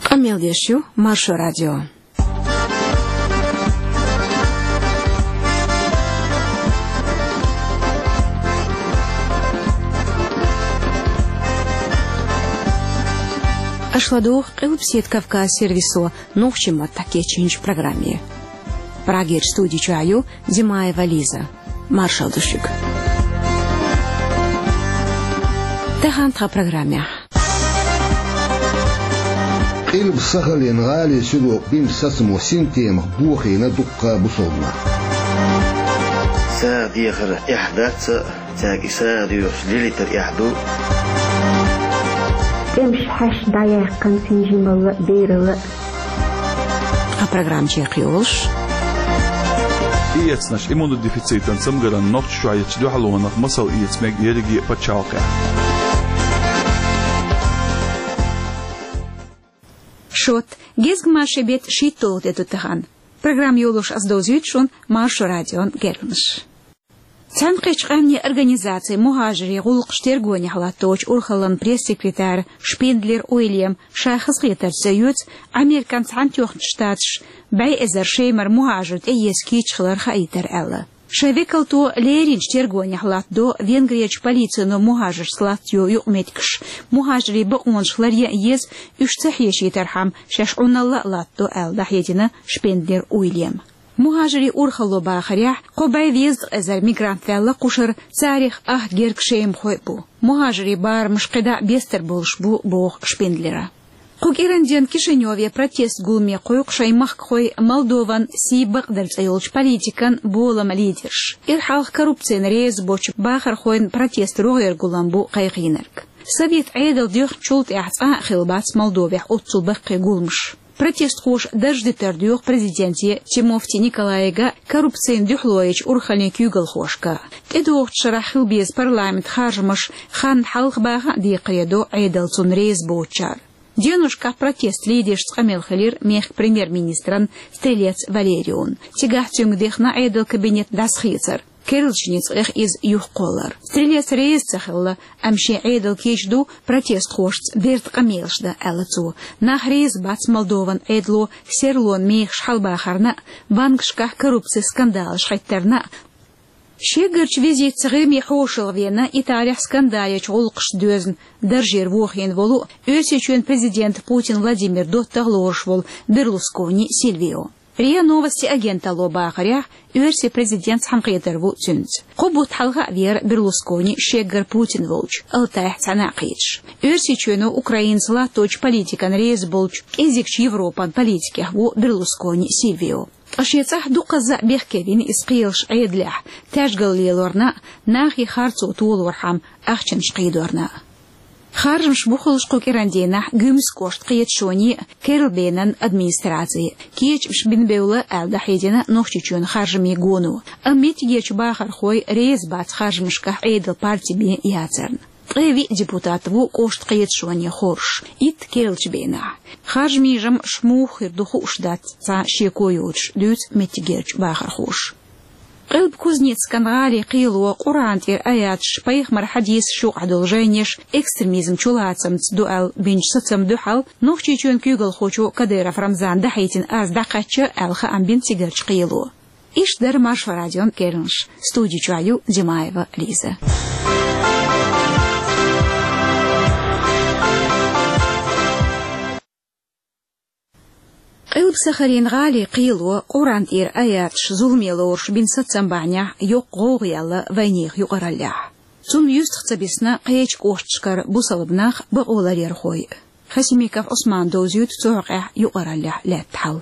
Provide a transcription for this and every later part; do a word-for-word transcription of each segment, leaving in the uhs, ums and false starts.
Къамел деш ю Маршо радио. Аша ладугӀу Къилбаседа Кавказ сервисо нохчийн маттахь кечйинчу программе. Прагерчу студи чохь ю Димаева Лиза. Маршалла ду шуьга. Тахана тхан программехь. Къилба-Сахалин гӀалин судо бина сацамо синтемах бохийна дуккха а бусалба нах. СагӀа дехар эхь дац а, цаьрга и сагӀа доьхуш лелийтар эхь ду. ТӀемаш хьаьшна дӀаяьккхина цуьнан жималла а, бералла а. Тхан программа чекхйолуш. Иэцнаш, иммунодефицитан цамгаран нохчашкахь ечу дуьхьалонах масал эца мега ерриге а пачхьалкхехь. Шот, гезгмашин беттан шийтталгӀа де ду тахана. Программа йолуш ас довзуьйту шуна Маршо радион керланаш. Цхьаьнакхеттачу Къаьмнийн Организацин мухӀажарийн гӀуллакхаш тергонехь латточу урхаллин пресс-секретара Шпиндлер Уильяма ша хазахетарца йоьцу Американ Цхьаьнатоьхначу Штаташа бӀе эзар Шемара мухӀажар тӀеэца кийча хилар хаийтар аьлла. Шайн векалто леринчу тергонехь латтадо Венгрерчу полицино мухӀажаршца латтайо юкъаметтигаш, мухӀажарийн бакъонаш ларъян а еза, уьш ца хьешийтархьама шаьш Ӏуналла а латтадо аьлла дӀахьедина Шпиндлер Уильяма. МухӀажарийн урхалло бахарехь, кхо бӀе везткъа эзар мигрант ваьлла кхушара, царах ах герга шемахой а бу. МухӀажарийн барамаш кхидӀа а бестар болуш бу, боху Шпиндлера. Кху кӀиран дийнахь Кишиневе протест гуламе кхойкху шайн махкахой Молдован Сий Бакъдар цӀе йолчу политикан болама лидерш. Ира хьалха коррупцина реза боцчу бахархойн протест рогӀера гулам бу кхайкхийнарг. Совет Ӏедал доьхначул тӀаьхьа цкъа а хилла бац Молдовехь оццул баккхий гуламаш. Протестхоша дарж дитар доьху президенте Тимофти Николайга, коррупцина дуьхьало ечу урхаллин куьйгалхошка. ТӀедогӀучу шарахь хила беза парламентан харжамаш хан хьалха баха а декхаре до Ӏедал цунна реза боцучара. Деношкахь протест лидершца къамел хилира мехкан премьер-министран Стрелец Валерион. Цигахь цуьнга дехна Ӏедал кабинет дӀасахецар, керлачу ницкъех иза юхакхоллар. Стрелец реза ца хилла, амма шен Ӏедал кийча ду протестхошца бертан къамелаш дан, аьлла цо. Нах реза бац Молдован Ӏедало серлонан мехаш хьалабахарна а, банкашкахь коррупцин скандалаш хьеттарна а. Шеггарчу визитца ГӀирме хьошалгӀа веана Италехь скандалечу гӀуллакхашца доьзна даржера вохийна волу, Оьрсийчоьнан президентан Путин Владимиран доттагӀа лоруш волу Берлускони Сильвио. РИА Новости агенталло бахарехь, оьрсийн президент цхьаьнакхетар ву цуьнца. Кхо бутт хьалха а веара Берлускони шеггара Путин волчу, Алтайхь цхьаьна а кхеташ. Оьрсийчоьно Украинца латточу политикана реза болчу кӀезигчу Европан политикех ву Берлускони Сильвио. Ткъа шен цӀахь дукхазза а бехке вина иза кхелаш Ӏедалехь, таьжгал лелорна а, нахе харцо толорхьама, ахчанаш кхийдорна а. Харжамаш бу хуьлуш кху кӀиран дийнахь Гуьмсан кӀоштан кхеташоне а, Керлачу бенан администраци а. Кечамаш бина бевлла аьлла дӀахьедина Нохчийчоьнан харжамийн гоно. Амма меттигерчу бахархой реза бац харжамашкахь Ӏедалан парти бен яцарна. Ткъе виъ депутат ву кӀоштан кхеташоне хоржуш, итт керлачу бенахь. Харжамийн жамӀаш муха хир ду хууш дац цхьа шеко йоцуш, дуьйцу меттигерчу бахархоша. Къилба-Кузнецкан гӀалин кхело Къуръан тӀера аяташ, пайхамаран хьадисаш юкъахь долу жайнаш экстремизм чулацамца ду аьлла бинчу сацамна дуьхьал Нохчийчоьнан куьйгалхочо Кадыров Рамзана дӀахьедина арз дӀакхаьчна аьлла хаам бина цигарчу кхело. Иштта дара Маршо радион керланаш. Студи чохь ю Димаева Лиза. Къилба-Сахалин гӀалин кхело Къуръан тӀера аяташ зуламе лоруш бина сацам бахьанехь йоккха гӀовгӀа яьлла вайнехан юкъараллехь. Цунна юьстах ца бисна кхечу кӀошташкара бусалба нах, бакъоларъярхой. Хасимиков Ӏусмана довзуьйту цу хьокъехь юкъараллехь лаьтта хьал.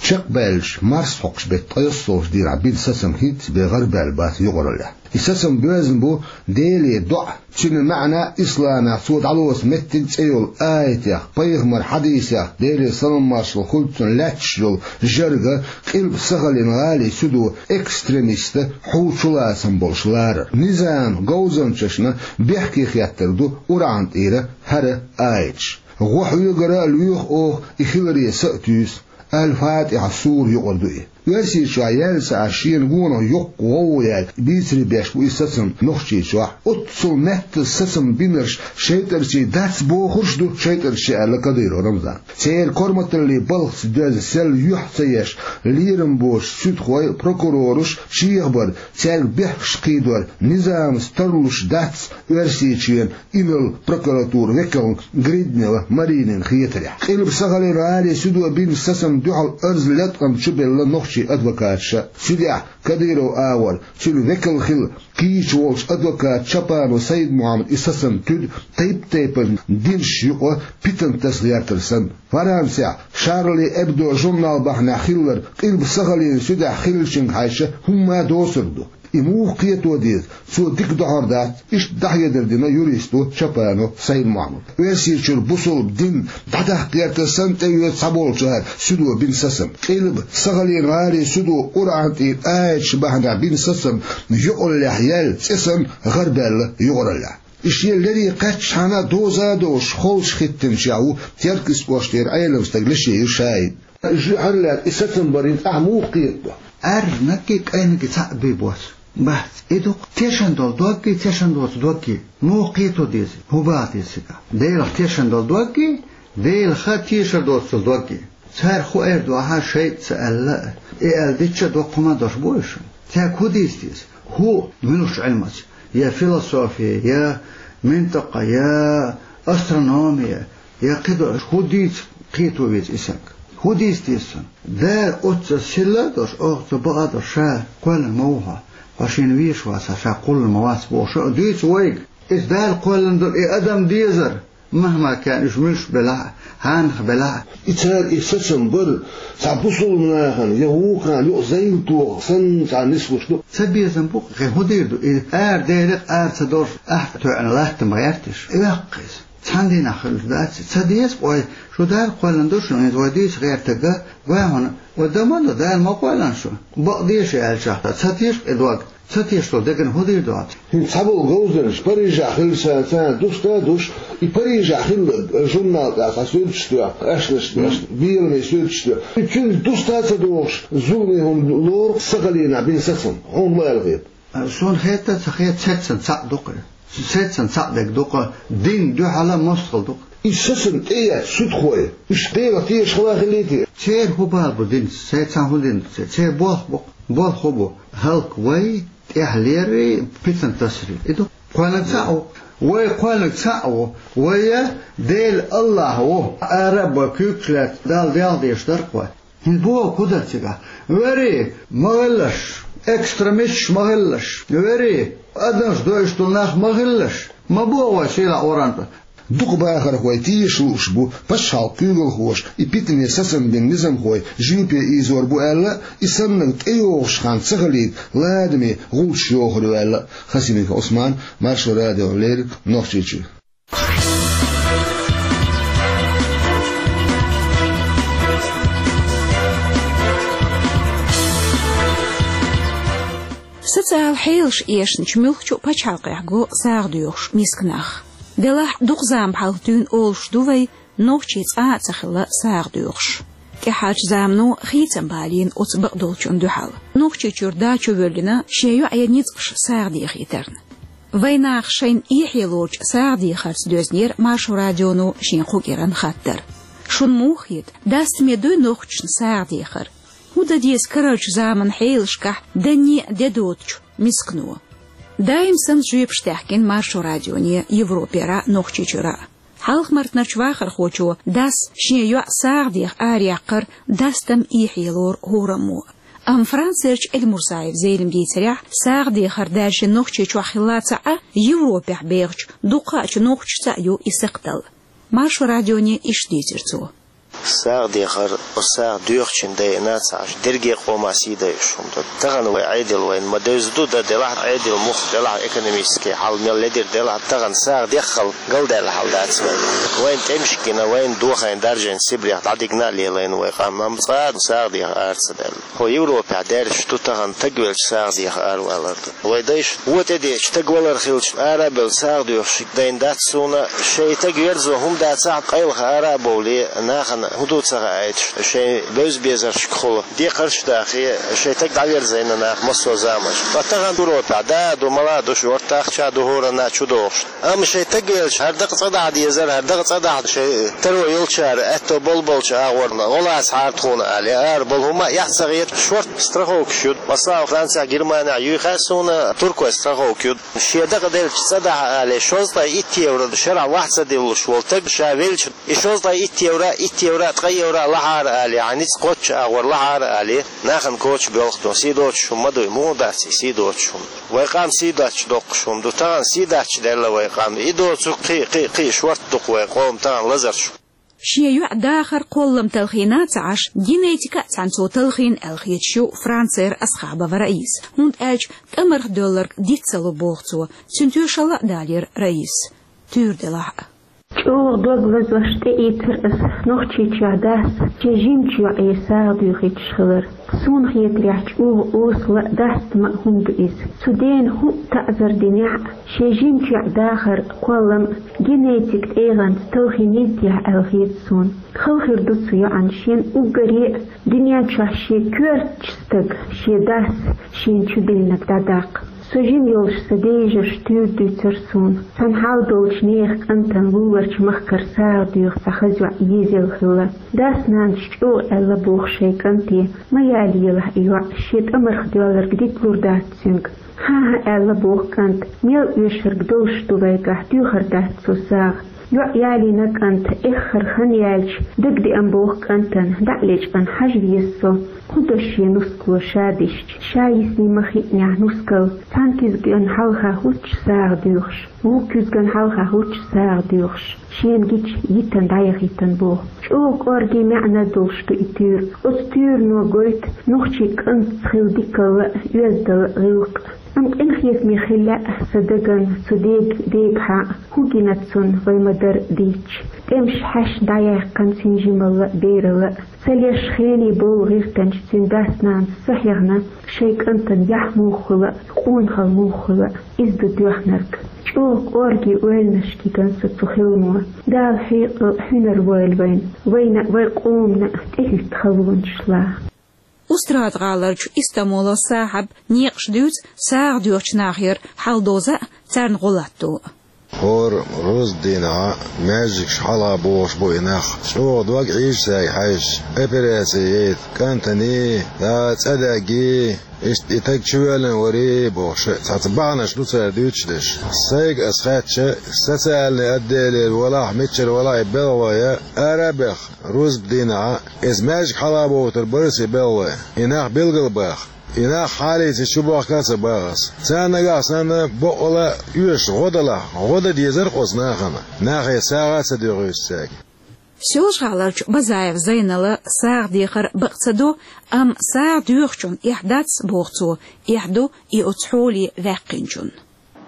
Чекхбаьллачу марсхьокху беттан ткъайоьсналгӀачу дийнахь бина сацам хӀинцца бен гӀарабаьлла бац юкъараллехь. И сацам боьзна бу Деле доӀа, цуьнан маьӀна исламехь цо дӀалоцу меттиг цӀе йолу аятех, пайхамаран хьадисех, Делера салам-маршалла хуьлда цунна, лаьтташ йолу жар а, Къилба-Сахалин гӀалин судо экстремистан хьу чулацам болуш ларар. Низаман говзанчашна бехке хеттар ду Къуръан тӀера хӀара аяташ. ГӀо хьоьгара а лоьху оха, и хиларе са а туьйсу. Аль-Фатихьа сура юкъара ду и. Оьрсийчохь яьлла ца Ӏаш шена гонах йоккха гӀовгӀа яьлла, бийцаре беш бу и сацам Нохчийчохь. Оццул меттаза сацам бинарш шайтӀарчий дац бохурш а ду, шайтӀарчий аьлла Кадыров Рамзана. Церан корматаллин балхаца доьзна сел юьхь ца еш, лерам боцуш суьдхой, прокурораш чехабар, цаьрга бехкаш кхийдор, низамца тарлуш дац Оьрсийчоьнан инарла прокуратуран векална Гриднева Маринина хетарехь. Къилба Сахалин гӀалин судо бинчу сацамна дуьхьал арз латкъам чубелла нохчийн адвокаташа. Цу тӀехь Кадыров агӀор, цуьнан векал хилла кийча волчу адвоката Чапанов Сайд-Мухьаммада и сацам туьду тайп-тайпана динаш юкъа питана таса гӀертар санна. Францехь Шарли Эбдо журнал бахьанехь хилларг Къилба Сахалин судехь хиллачуьнга хьаьжча хӀумма а доцург ду. И муха кхето деза? Цо дика дохьур дац, иштта дӀахьедар дина юристо Чапанов Сайд-Мухьаммада. Оьрсийчуьра бусалба дин дӀадаккха гӀертар санна тӀеоьцу цхьаболчара судо бина сацам. Къилба Сахалин гӀалин судо Къуръан тӀера аяташ бахьанехь бина сацам юкъараллехь яьлла цӀе санна гӀарабаьлла юкъараллехь. И шен леррина кхаьччахьана доза а довш, холчу хӀиттинчех ву Теркйист кӀоштара Ӏелам стаг Лешеев ШаӀид. Жоьжахати и сацам барин ахь муха кхетадо? Аьрнарг а, кӀайнарг а цхьаъ бен боцу. Бац, и ду-кх тешна долу дог а, тешна доцу дог а. Муха кхето деза, хӀун бала деза цигахь? Делах тешна долу дог а, Делах тешар доцу дог а. Цара хӀун эр ду ахьа, шайтӀа ца аьлла а, и аьлла дича а доккха хӀума долуш бу уьш. Цаьрга хӀун дийца деза? ХӀун, муьлхачу Ӏилмаца? Я философия, я ментакъа, я астрономия, я кхидолуш, хӀун дийца кхето веза и санна? ХӀун дийца деза цунна? Дала оццул сийлахь а долуш, оццул бакъ а долуш, ша кхоьллина ма ву хьо, хьо шена везаш вац, ша кхоьллина ма вац бохуш а дуьйцу вайга. Иза Дала кхоьллина долу и адам дезар, махкахь уьш муьлш белахь а, хьанах белахь а. И цара и сацам бар цхьа бусалба нахана я вукхарна юкъа зайла тоха санна цхьа нислуш ду. Ца безам бу-кх, кхин хӀун дийр ду? И ара Делах ара ца долуш, ахь тоьъна латта ма гӀерташ. Оьхкхаза. Цхьана дийнахь хуьлуш дац, ца деза-кх вай, шу Дала кхоьллина ду шуна, иза вай дийца гӀертарг а, гой хьуна, вай дан ма до, Дала ма кхоьллина шу. Бакъ деза аьлчахь, ца теша-кх и дог, ца тешаш долу деган хӀун дийр ду? ХӀинца цхьаболу говзанчаш Парижехь хилла санна, царна дуста а душ, и Парижехь хилларг журнал тӀехь цхьа суьрташ тоьхна, аьшнаш, беламе суьрташ тоьхна. Цуьнца дуста а ца догӀуш, зуламе хӀума лору-кх Сахалинехь бина сацам, хьуна ма аьлла хета. Суна хетта а ца хета, цеццан цхьаъ ду-кх. Цеццан цхьаъ дерг ду-кх, динна дуьхьал а мостагӀалла ду-кх. И сацам тӀеэцна суьдхой, уьш Делах тешаш хила хилийта? Церан хӀун бала бу динца? Церан цхьа хӀун дин ду церан? Церан болх бу-кх. Болх хӀун бу? ХӀаллаквай, тӀехьа леррий, питана тасарий. И ду. Кхоьллинарг цхьаъ ву. Вай кхоьллинарг цхьаъ ву. Вай а Дела АллахӀ ву. Ара а бой, куьйгаш лаьцна, Далла делха дезаш дара-кх вай. ХӀинца бохург хӀун дара цигахь? Вери, ма гӀиллаш, экстремисташ ма гӀиллаш. Вери, адамаш дойуш долу нах ма гӀиллаш. Ма боху вай сийлахь Къуръан тӀе. Дукха бахархой тешаш лууш бу, пачхьалкхан куьйгалхоша и питане сацам бина низамхой жимпе ийзор бу аьлла, и саннарг тӀейогӀуш хан ца хилийта ладаме гӀулчаш йохур ю аьлла. Хасимиков Ӏусман, Маршо радиона леррина, Нохчийчуьра. Социалан хьелаш эшначу муьлххачу а пачхьалкхехь го сагӀа доьхуш миска нах. Делахь дукха зама хьалха дуьйна олуш ду вай, нохчий цкъа а ца хилла сагӀа доьхуш. ТӀаьхьарчу замано хийцам балийна оцу бакъдолчунна дуьхьал. Нохчийчуьра дачу а воьллина, шен йоӀе ницкъаш сагӀа дехийтарна. Вайнах шайна эхье лоручу сагӀа дехарца доьзнера Маршо радионо шен кху кӀиранан хаттар. Шуна муха хета, дастаме дуй нохчашна сагӀа дехар? ХӀун дан деза карарчу заманан хьелашкахь данне а де доцучу мискано? Даим санна жоьпаш даьхкина Маршо радионе Европера а, Нохчийчуьра а. Хьалха-Мартанарчу вахархочо дас шен йоӀ сагӀа деха араяьккхар дастам эхье лору хӀораммо. Амма Францерчу Эльмурзаев Зелиман дийцарехь, сагӀа дехар даьржина Нохчийчохь хилла ца Ӏа, Европехь бехачу дукхачу нохчашца а ю и сакхтал. Маршо радионе иштта дийцира цо. СагӀа дехар, оцу сагӀа доьхучун дайина ца Ӏаш, дерриге а къоман сий дайъуш хӀума ду. Тахана вай Ӏедал вайна ма девза ду, дан делахь а, Ӏедал мух делахь а, экономически хьал мел ледира делахь а, тахана сагӀа деххал галдаьлла хьал дац вайн. Вайна тӀемаш гина, вайна дохийна даржийна Сибрех дӀадигна а лелийна вай къам, амма цкъа а сагӀа деха ара ца даьлла. ХӀо Европехь даьржаш ду тахана, стаг велча сагӀа деха аравалар ду. Вай дайша вон тӀедеъча стаг валар хилча, ара а бевлла сагӀа доьхуш дайна дац суна, шайн стаг верзо хӀума дацахь а, къайлаха ара а бовлий, нахана ХӀун ду ца хаийташ, шайн бевза-безаршкахула декхарш а дахе, шайн таг дӀаверзийна нах массо а заманаш. Ткъа тахан Европехь да а ду, мала а ду, шортта ахча а ду, хӀоранна а чу дохуш. Амма шайн таг велча, хӀара дакъа цӀа дахьа дезара, хӀара дакъа цӀа дахьа шайн таро йолчара, аьтто болу болчу агӀорна гӀо лаца хьара тхуна аьлла, ара болу хӀума а эхь ца хета, шортта страховкаш ю. Масала, Францехь, Германехь юй хаьа суна, туркойн страховка ю. Шен дакъа делча цӀа дахьа аьлла, шовзткъе итт евро шарахь вахь ца диллуш волу таг ша велча, и шовзткъе итт евро, итт евро, ткъе евро лахьара аьлла, хьан ницкъ кхоччу агӀор лахьара аьлла, нахана коча боьлху тхо, сий доцуш хӀума ма ду, муха дац и сий доцуш хӀума? Вай къам сий доцуш доккхуш хӀума ду, тахана сий дац делла вай къам. И доцург кхин, кхин, кхин шортта ду-кх вай къоман тахана лазарш. Шен йоӀ дахар кхоллам талхийна а ца Ӏаш, генетика а цхьаьна цо талхийна аьлла хеташ ю Францера Асхабова Раиса, хӀунда аьлча тӀамарх доьлларг диц ца ло боху цо, цуьнан тоьшалла а далийра Раисас, туьйра делахь а. ЧӀогӀа дог лазош тӀеийцира ас Нохчийчохь дас шен жимачу йоӀе сагӀа доьхуьйтуш хилар. Суна хетарехь, чӀогӀа осала а, дастам а хӀума ду иза. Цу дена хӀуъа таӀзар динехь а, шен жимачу йоӀ дахар кхоллам генетик тӀегӀанца талхийнийта техьа аьлла хета суна. Хала хир ду цу йоӀана шена уггаре а, дуьнен чохь шен коьртачу стага, шен дас шена чу диллинарг дӀадаккха. Со жима йолуш сан ден йижарша туьйра дуьйцура суна, цхьана хьал долчу нехан кӀантана луларчу махкара сагӀа доьху цхьа хаза йоӀ езаелла хилла. Дас-нанас чӀогӀа аьлла боху шайн кӀанте, ма ялаелахь и йоӀ, шен тӀамарх доьлларг дитлур дац цуьнга. ХӀан-хӀа, аьлла боху кӀанта, мел оьшург долуш ду вайгахь, доьхур дац цо сагӀа. ЙоӀ ялийна кӀанта, эххар хан яьлча, дагадеана боху кӀантана, дӀа а лечкъина, хьажа веза со, хӀун до шен нускало ша дисча, ша йисний ма хиънехь нускал, цхьана куьзгана хьалха хӀуттуш сагӀа доьхуш, вукху куьзгана хьалха хӀуттуш сагӀа доьхуш, шена гича йитина дӀаяхийтина боху. ЧӀогӀа кӀорге маьӀна долуш ду и туьйра. Оцу туьйрано гойту нохчийн кӀантаца хилла дикалла а, оьздангалла а, гӀиллакх а. Амма къинхетаме хила лаьа сан дагна цу дега, дегахьа, хӀун гина цунна вай ма-дарра дийцича. ТӀемаш хьаьшна дӀаяьккхина цуьнан жималла а, бералла а. Ца леш хене болу гӀиртанчу цуьнан дас-нанас ца хьехна, шайн кӀантана яхь муха хуьлу а, къонахалла муха хуьлу а, иза ду доьхнарг. ЧӀогӀа кӀорге ойланашка йигна со цу хиламо. Дала хьекъал а, хьуьнар а лойла вайна, вайна а, вайн къомана а тӀехӀитта халонаш лаха. Устрада-гӀаларчу Истамолан Сахьаб некъаш дуьйцу сагӀа доьхучу нахера хьал-доза а, царна гӀо латто а. ХӀора рузба дийнахь маьждигаш хьалха бохуш бу и нах. ЧӀогӀа дог Ӏийжа цаьрга хьаьжча, операци яйта кӀантана, цӀа даьгга, иштта и таг чувоьллина вара бохуш, цхьацца бахьанаш ду цара дуьйцуш дерш. Сайга ас хаьттича, социальный отделера валахь, мичара валахь и белхалой ара а беха, рузба дийнахь, иза маьждиг хьалха бохуьйтур бара аса и белхалой. И нах билгал баха. И нах хьалийца чубохка а ца баха аса. Царна нагахь санна бакъвала оьшуш гӀо далахь, гӀо дан дезара оцу нахана, нахе сагӀа а ца доьхуьйтуш цаьрга. Соьлжа-ГӀаларчу Базаева Зайнала сагӀа дехар бакъ ца до, амма сагӀа доьхучунна эхь дац, боху цо, эхь ду и оцу хьоле ваьккхинчунна.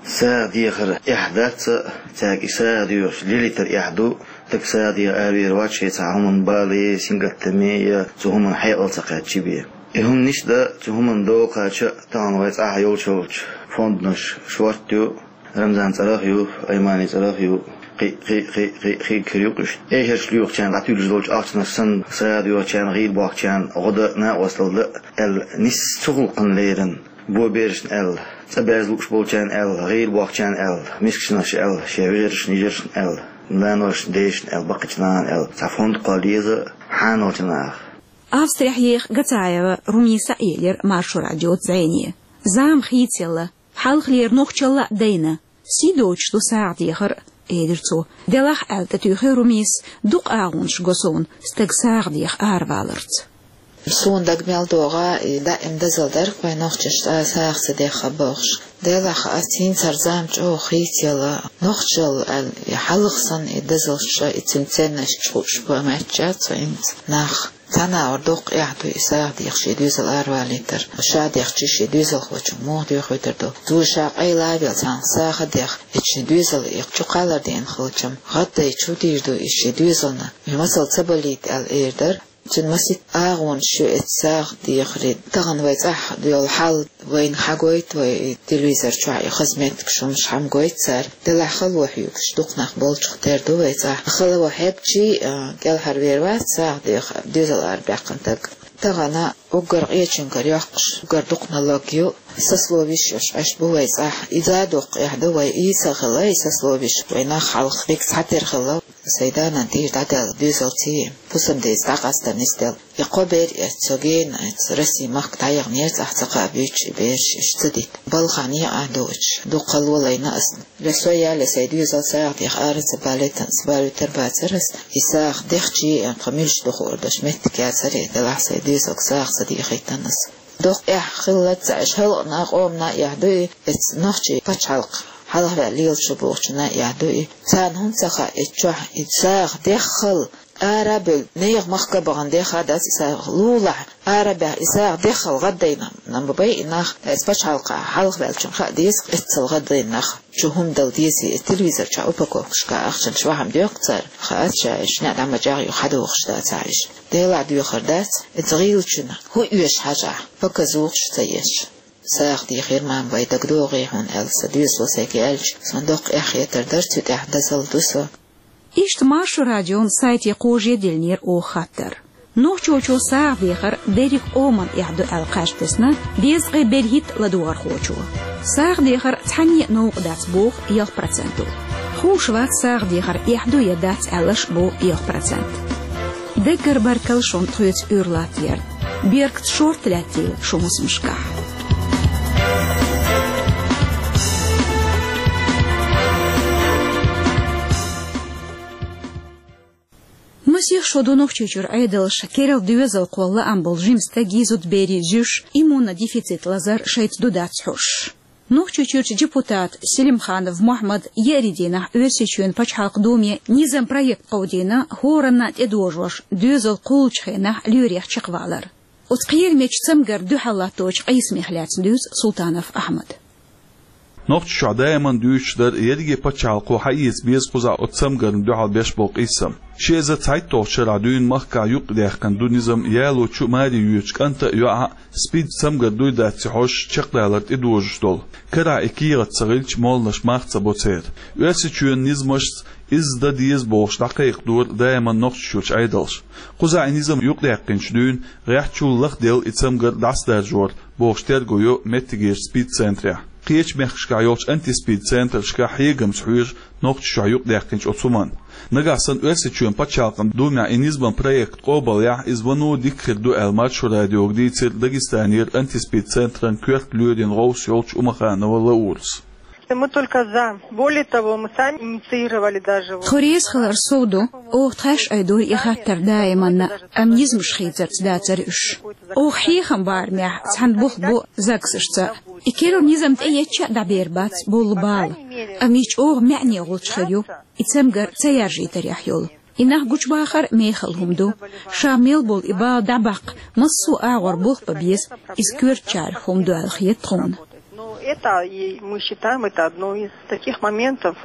СагӀа дехар эхь дац а, цаьрга и сагӀа доьхуш лелийтар эхь ду. Дага сагӀа деха аравер вац, шен цхьа хӀуманна бале, сингаттаме я цу хӀуманна хьекъал ца кхаьчча бен. И хӀума нисдан, цу хӀуманна догӀа кхача а тахана вай цӀахь йолчу-йолчу фондаш шортта ю, Рамзан цӀарах а ю, Аймани цӀарах а ю, кхин, кхин, кхин, кхин, кхин кхир ю-кх уьш. Эшарш лоьхучарна дӀатуьллуш долчу ахчанаш санна, сагӀа доьхучарна, гӀийла бохкучарна гӀо дан, накъосталла дан аьлла, нисса цу гӀуллакхана лерина. Бо берашна аьлла, цӀа баьзза лууш болчарна аьлла, гӀийла бохкучарна аьлла, мискачанаш аьлла, шен вежаршна, йижаршна аьлла, наношна, дешашна аьлла, баккхийчу нахана аьлла, цхьа фонд кхолла еза хьанолчу наха. Австрехь еха Гацаева Румиса а елира Маршо радиоца зӀене. Зама хийцаелла, хьалхалера нохчалла а дайна, сий доцуш ду сагӀа дехар а, элира цо. Делахь, аьлла тӀетуьйхира Румисас, дукха агӀонаш го суна стаг сагӀа деха араваларца. Суна дага мел догӀу, и даим дозалла дара-кх вай нохчашна цкъа а сагӀа ца дехха бохуш. Делахь, ас хӀинца хӀара зама чӀогӀа хийцаелла, нохчалла аьлла, и хьалха санна и дозаллаш а, и цуьнан ценность а хууш бен моьттуш бу хӀинца нах. Цхьана агӀор дуккха эхь ду и сагӀа деха шен доьзал аравалийтар. Ша дехча, шен доьзалхочунга муха доьхуьйтур ду? Цо ша къайла а велла, цхьанхьа сагӀа а деха, и шен доьзал и чу кхаллар деана хилча-м, гӀаддай чу дийр ду и шен доьзална, и масал ца балийта аьлла эр дара. Цуьнан масийтта агӀонаш ю эцу сагӀа дехаран. Тахана вай цӀахь йолу хьал вайна хьагойту, вай телевизор чохь и хаза меттигаш, хӀуманаш хьагойту цара. Делахь хало хьоьгуш дукха нах болчух тера ду вай цӀахь. Хало хьегчий, а, кӀелхьарвер вац сагӀа деха доьзал арабаьккхина стаг. Тахана уггар къечуьнгара йоккхуш, уггар дукха налог ю. Сословиш йолуш Ӏаш бу вай цӀахь. И задоккху эхь ду вай, и ца хилла, и сословиш вай нах хьалха дика цхьатера хилла. Сайн да-нана тӀера дӀадаьлла доьзалций, хӀусамдеца дӀакъастар нисделла. И кхо бер эццо гена, эцу Россин махка дӀаяханера цӀахь ца кхаъ буьйцуш и бераш, иштта ца дита. Балхахь некъахь дуучу, дукха хало лайна ас. Ле со я, ле сайн доьзал сагӀа деха ара ца балийтина, ас балийтар бацара ас. И сагӀа дехчий, тхан муьлш ду хуур долуш меттиг яцара, делахь сайн доьзалга сагӀа ца дехийтина ас. Доккха эхь хилла ца Ӏаш, халкъана, къомана а эхь ду и, эцу нохчийн пачхьалкх хьалхаваьлла лелаш ву бохучунна а эхь ду и. Царна хӀунда ца хаьа, эцу чохь и сагӀа деххал, ара а бевлла, нехан махка а бахана деха дац и сагӀа, лулахь, ара а баьхна, и сагӀа деххал гӀаддайна нах бу-кх и нах, эцу пачхьалкхехь хьалхаваьллачунна хаа деза-кх, эццал гӀаддайна нах чу хӀума дала дезий, и телевизор чохь упаковкашкахь ахчанаш вахьам доьху цара, хаац ша, уьш неӀ дӀа ма чӀагӀйо, хьадохуш дацахь уьш. Делахь доьхур дац, эцу гӀийлачунна хӀун оьшу хьажахь, показухаш ца еш. СагӀа дехира мама вай, дагадогӀий хьуна аьлла, сан доьзало сайга аьлча, суна доккха эхь хетар дара, цу тӀехь дозалла ду со. Иштта Маршо радион сайте кхожа диллинера оха хаттар. Нохчочо сагӀа дехар дерриг къоман эхь ду аьлла кхаж тесна дезткъе берхӀитта ладугӀархочо. СагӀа дехар цхьанне а новкъа дац боху ялх проценто. Хууш вац сагӀа дехар эхь ду я дац аьлларш боху ялх процент. Даггара баркалла шуна тхоьца уьйр латтаярна. Бертаца шорта лаьттийла шун хӀусамашкахь. Масех шо ду Нохчийчуьра Ӏедалша керла доьзалхо лаам болу жима стегий, зудаберий зуьйш иммунодефицит лазар шайца ду-дац хьоьжуш. Нохчийчуьрчу депутата Селимханов Мохьмада еарин дийнахь Оьрсийчоьнан пачхьалкхан Думе низам проект кховдийна, хӀоранна тӀедожош доьзал кхуллучу хенахь лоьрех чекхвалар. Оцу кхерамечу цамгарна дуьхьал латточу къийсамех лаьцна дуьйцу Султанов Ахьмада. Нохчийчохь даиман дуьйцуш дара, ерриге пачхьалкхо хьаэца беза кхузахь оцу цамгарна дуьхьал беш болу къийсам. Ши эзар цхьайтталгӀачу шарахь дуьйна махкахь юкъадаьккхина ду низам ялочу, маре йоьдучу кӀанта а, йоӀа а СПИД цамгар дуй-дац хьожуш чекхдалар тӀедожош долу. Карахь и кехат ца хилча, молланаш мах ца бо церан. Оьрсийчоьнан низамашца изза дан деза бохуш дӀакхайкхадора даиман Нохчийчуьрчу Ӏедалша. Кхузахь и низам юкъадаьккхинчу дуьйна гӀеххьачул лахдевлла и цамгар дӀасадаржор бохуш терго йо меттигерчу СПИД-центрехь. Кхечу мехкашкахь йолчу антиспид-центрашкахь хьегамца хьоьжу Нохчийчохь юкъадаьккхинчу оцу хӀуманна. Нагахь санна Оьрсийчоьнан пачхьалкхан Думехь и низаман проект къобалъяхь, иза вано дика хир ду аьлла, Маршо радиога дийцира Дагестанера антиспид-центран коьрта лоьрийн гӀовс йолчу Умаханова Лаурас. Мы только за. Более того, мы сами инициировали даже вот. Тхо реза хилар сов ду, оха тхаьш айдора и хаттар даиманна, амма низамаш хийцарца дацара уьш. Оха хьехам барамехь цхьаьна бух бо ЗАГСашца. И керла низам тӀеэцча а дӀабер бац болу бала, амма и чӀогӀа маьӀне гӀулч хир ю, и цамгар ца яржийтарехь йолу. И нах гучубахар мехала хӀума ду. Ша мел болу и бала дӀабаккха массо а агӀор болх бан беза, иза коьртачарах хӀума ду аьлла хета тхуна. Ну, это и мы считаем, это одно из таких моментов.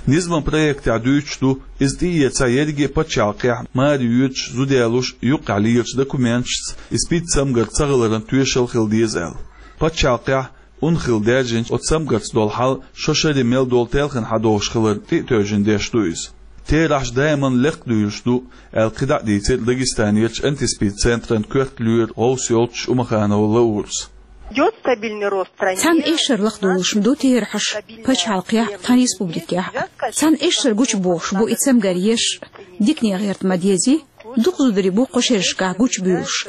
Низаман проектехь дуьйцуш ду, иза тӀеэцахь ерриге пачхьалкхехь маре йоьдуш, зуда ялош юккъехь лелачу документашца и СПИД-цамгар ца хиларан тоьшалла хила деза аьлла. Пачхьалкхехь ун хилла даьржинчу оцу цамгарца долу хьал шо шаре мел долу телхина хьадогӀуш хиларна тӀе а тевжина деш ду иза. Терахьаш даиманна лекха дуьйлуш ду, аьлла кхидӀа а дийцира Дагестанерчу антиспид-центран коьрта лоьрийн гӀовс йолчу Умаханова Лаурас. Идёт стабильный рост ранений. Цхьана эшшара лахдолуш ма ду терахьаш пачхьалкхехь а, тхан республикехь а. Цхьана эшшара гучубохуш бу и цамгар еш, дикане гӀерта ма дезий, дукха зударий бу кху шерашкахь гучубуьйлуш.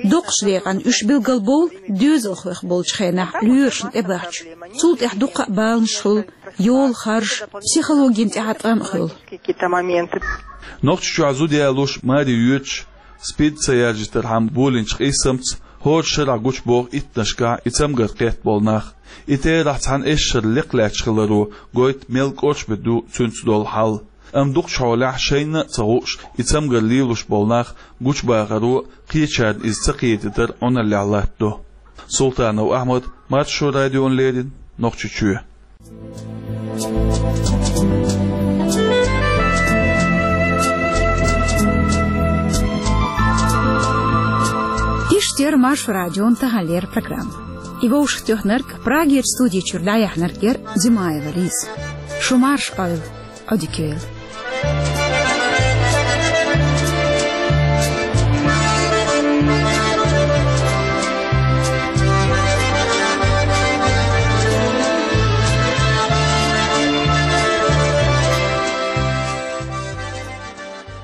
Доккхачу декъана уьш билгалбовлу доьзалхойх болчу хенахь лоьрашна тӀебахча. Цул тӀаьхьа дуккха а баланаш хуьлу, йолу харж, психологина тӀехь а тӀам а хуьлу. Какие-то моменты. Нохчийчохь зуда ялош, маре йоьдуш, СПИД ца яржийтархьама болийначу къийсамца хӀора шарахь гучубоху иттаннашкахь и цамгар кхетта болу нах. И терахь цхьана эшшара лекха лаьтташ хиларо гойту мел кӀоршбан ду цуьнца долу хьал. Амма дукхачу хьолехь шайна а ца хууш, и цамгар лелош болу нах гучубахаро а, кхечарна иза ца кхетийтар Ӏуналлехь латтадо. Султанов Ахьмад, Маршо радиона леррина, Нохчийчоь. Эфирт яр Маршо радион тахан лерг программа. И вовшахтоьхнарг, Прагерча студи чура дӀаяьхьнарг яр Димаева Лиза. Шу марша Ӏойла, Ӏодика йойла.